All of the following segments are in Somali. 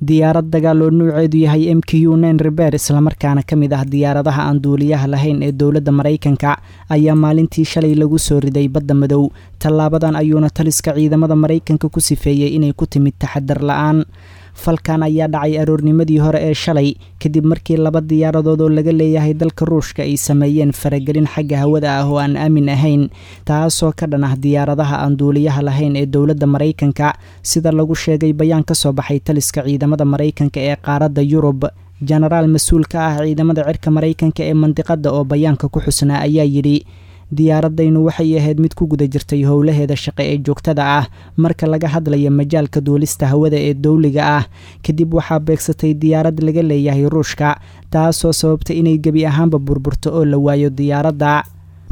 Diyaarad dagaal oo nuuceedu yahay MQ-9 Reaper islamarkaana ka mid ah diyaaradaha aan duuliyaha lahayn ee dowladda Maraykanka ayaa maalintii shalay lagu soo riday badda madow. Tallaabadan ayuuna taliska ciidamada Maraykanka ku sifeeyey inay ku timid taxadar la'aan. Falkan ayaa dhacay aroornimadii hore ee shalay kadib markii laba diyaaradood oo laga leeyahay dalka Ruushka ay sameeyeen faragelin xagga hawada ah oo aan aamin ahayn, taasoo ka dhan ah diyaaradaha aan duuliyaha lahayn ee dowladda Maraykanka, sida lagu sheegay bayaan ka soo baxay taliska ciidamada Maraykanka ee qaaradda Yurub. Jenaraal mas-uul ka ah ciidamada cirka Maraykanka ee mandiqadda oo bayaanka ku xusnaa ayaa yidhi: diyaaradaynu waxay ahayd mid ku guda jirtay howlaheeda shaqe ee joogtada ah marka laga hadlayo majaalka duulista hawada ee dowliga ah. Kadib waxaa beegsatay diyaarad laga leeyahay Ruushka, taasoo sababtay inay gebi ahaanba burburto oo la waayo diyaaradda.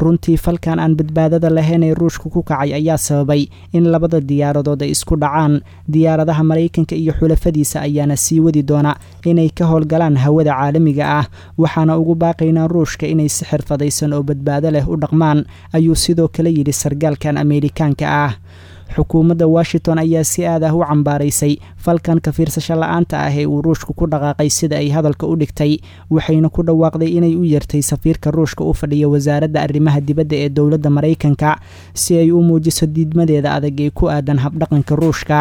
Runtii falkan aan badbaadada lahayn ee Ruushka ku kacay ayaa sababay in labada diyaaradood ay isku dhacaan. Diyaaradaha Maraykanka iyo xulafadiisa ayaana sii wadi doona inay ka howlgalaan hawada caalamiga ah, waxaana ugu baaqaynaa Ruushka inay si xirfadaysan oo badbaado leh u dhaqmaan, ayuu sidoo kale yidhi sargaalkan Ameerikaanka ah. Xukuumadda Washington ayaa si aad ah u cambaaraysay falkan ka fiirsasho la'aanta ah ee uu Ruushku ku dhaqaaqay, sida ay hadalka u dhigtay, waxayna ku dhawaaqday inay u yeertay safiirka Ruushka u fadhiya wasaaradda arrimaha dibadda ee dowladda Maraykanka si ay u muujiso diidmadeeda adag ee ku aadan habdhaqanka Ruushka.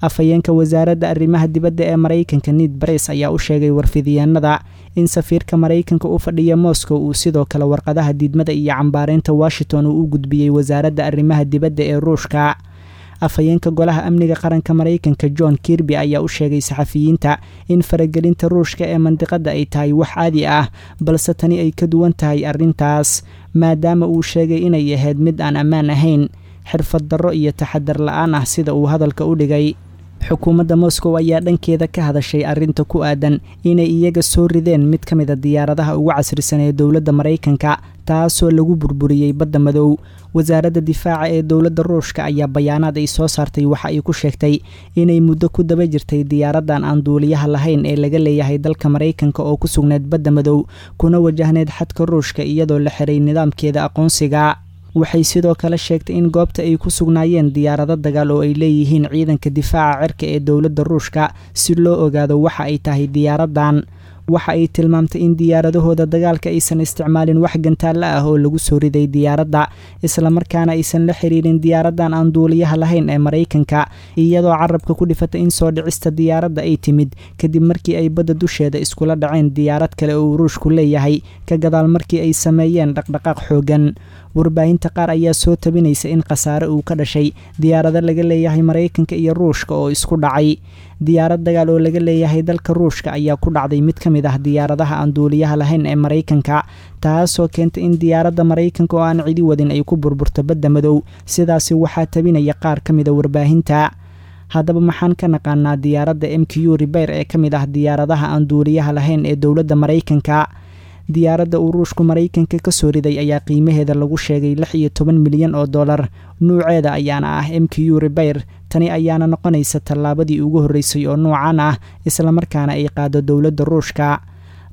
Afhayeenka wasaaradda arrimaha dibadda ee Maraykanka Ned Price ayaa u sheegay warfidyaenada in safiirka Maraykanka u fadhiya Moscow uu sidoo kale warqadaha diidmada iyo cambaareynta Washington uu u gudbiyey wasaaradda arrimaha dibadda ee Ruushka. Afhayeenka golaha amniga qaranka Maraykanka John Kirby ayaa u sheegay saxafiyiinta in faragelinta Ruushka ee mandiqadda ay tahay wax caadi ah, balse tani ay ka duwan tahay arrintaas, maadaama uu sheegay inay ahayd mid aan ammaan ahayn, xirfad darro iyo taxadar la'aan ah, sida uu hadalka u dhigay. Xukuumadda Moscow ayaa dhankeeda ka hadashay arrinta ku aadan inay iyaga soo rideen mid ka mid a diyaaradaha ugu casrisan ee dowladda Maraykanka, taasoo lagu burburiyey badda madow. Wasaaradda difaaca ee dowladda Ruushka ayaa bayaanaad ay soo saartay waxa ay ku sheegtay inay muddo ku daba jirtay diyaaraddan aan duuliyaha lahayn ee laga leeyahay dalka Maraykanka oo ku sugnayd badda madow, kuna wajahneyd xadka Ruushka iyadoo la xiray nidaamkeeda aqoonsiga. Waxay sidoo kale sheegtay in goobta ay ku sugnaayeen diyaarado dagaal oo ay leeyihiin ciidanka difaaca cirka ee dowladda Ruushka si loo ogaado waxa ay tahay diyaaraddan. Waxa ay tilmaamtay in diyaaradahooda dagaalka aysan isticmaalin wax gantaalla ah oo lagu soo riday diyaaradda, islamarkaana aysan la xiriirin diyaaraddan aan duuliyaha lahayn ee Maraykanka, iyadoo carabka ku dhifatay in soo dhicista diyaaradda ay timid kadib markii ay badda dusheeda iskula dhaceen diyaarad kale oo uu Ruushku leeyahay, ka gadaal markii ay sameeyeen dhaqdhaqaaq xooggan. Warbaahinta qaar ayaa soo tabinaysa in khasaare uu ka dhashay diyaarado laga leeyahay Maraykanka iyo Ruushka oo isku dhacay. Diyaarad dagaal oo laga leeyahay dalka Ruushka ayaa ku dhacday mid ka mid ah diyaaradaha aan duuliyaha lahayn ee Maraykanka, taasoo keentay in diyaaradda Maraykanka oo aan cidi wadin ay ku burburto badda madow. Sidaasi waxaa tabinaya qaar ka mida warbaahinta. Haddaba maxaan ka naqaanaa diyaaradda MQ Reaper ee ka mid ah diyaaradaha aan duuliyaha lahayn ee dowladda Maraykanka? Diyaaradda uu Ruushku Maraykanka ka soo riday ayaa qiimaheeda lagu sheegay 16 milyan oo dollar, nuuceeda ayaana ah MQ Reaper. Tani ayaana noqonaysa tallaabadii ugu horreysay oo nuucan ah islamarkaana ay qaado dowladda Ruushka.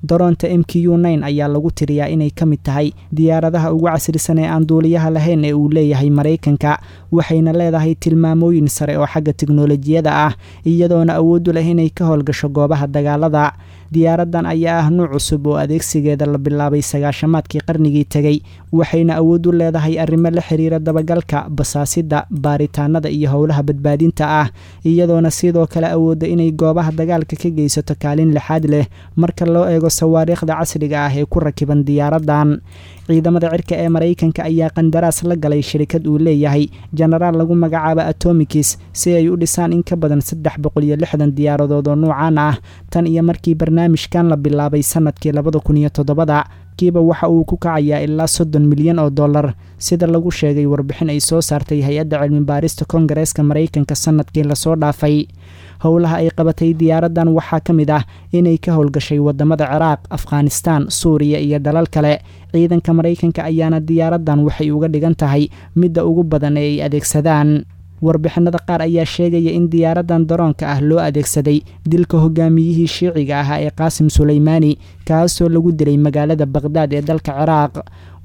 Daroonta MQ-9 ayaa lagu tiriyaa inay ka mid tahay diyaaradaha ugu casrisan ee aan duuliyaha lahayn ee uu leeyahay Maraykanka, waxayna leedahay tilmaamooyin sare oo xagga tiknoolajiyada ah, iyadoona awood u leh inay ka howlgasho goobaha dagaalada. Diyaaraddan ayaa ah nuuc cusub oo adeegsigeeda la bilaabay sagaashamaadkii qarnigii tegey, waxayna awood u leedahay arrimo la xiriira dabagalka, basaasidda, baaritaanada iyo howlaha badbaadinta ah, iyadoona sidoo kale awoodda inay goobaha dagaalka ka geysato kaalin lixaad leh marka loo eego sawaariikhda casriga ah ee ku rakiban diyaaraddan. Ciidamada cirka ee Maraykanka ayaa qandaraas la galay shirikad uu leeyahay jenaraal lagu magacaabo Atomikis si ay u dhisaan in ka badan 360 diyaaradood oo nuucan ah. Tan iyo markii barnaamijkan la bilaabay sanadkii 2007-da, kiiba waxa uu ku kacayaa ilaa 30 milyan oo dollar, sida lagu sheegay warbixin ay soo saartay hay-adda cilmi baarista Koongareeska Maraykanka sanadkii lasoo dhaafay. Howlaha ay qabatay diyaaraddan waxaa ka mid ah inay ka howlgashay wadamada Ciraaq, Afghanistan, Suuriya iyo dalal kale. Ciidanka Maraykanka ayaana diyaaraddan waxay uga dhigan tahay midda ugu badan ee ay adeegsadaan. Warbixinada qaar ayaa sheegaya in diyaaraddan daroonka ah loo adeegsaday dilka hogaamiyihii shiiciga ahaa ee Qaasim Suleymaani, kaasoo lagu dilay magaalada Baqhdaad ee dalka Ciraaq.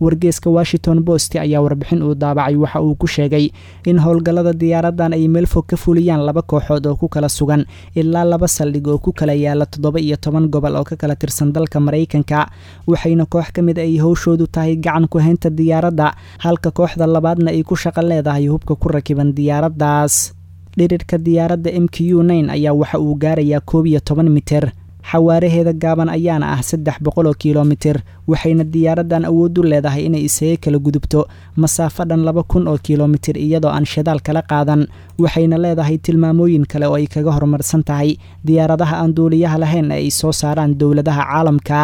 Wargeeska Washington Post ayaa warbixin uu daabacay waxa uu ku sheegay in howlgallada diyaaraddan ay meel fog ka fuliyaan laba kooxood oo ku kala sugan ilaa laba saldhig oo ku kala yaala 17 gobol oo ka kala tirsan dalka Maraykanka, waxayna koox ka mid ay howshoodu tahay gacan ku haynta diyaaradda, halka kooxda labaadna ay ku shaqo leedahay hubka ku rakiban diyaaraddaas. Dhirirka diyaaradda MQ-9 ayaa waxa uu gaarayaa 11 mitir, xawaaraheeda gaaban ayaana ah 300 kilomitir, waxayna diyaaraddan awood u leedahay inay isaga kala gudubto masaafo dhan 2000 oo kilomitir iyadoo aan shidaal kala qaadan. Waxayna leedahay tilmaamooyin kale oo ay kaga horumarsan tahay diyaaradaha aan duuliyaha lahayn ee ay soo saaraan dowladaha caalamka.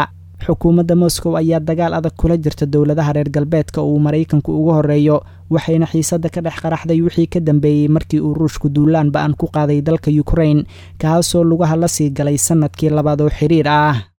Xukuumadda Moscow ayaa dagaal adag kula jirta dowladaha reer galbeedka oo uu Maraykanku ugu horreeyo, waxayna xiisadda ka dhex qaraxday wixii ka dambeeyey markii uu Ruushku duulaan ba-an ku qaaday dalka Ukraine, kaasoo lugaha la sii galay sannadkii labaad oo xiriir ah.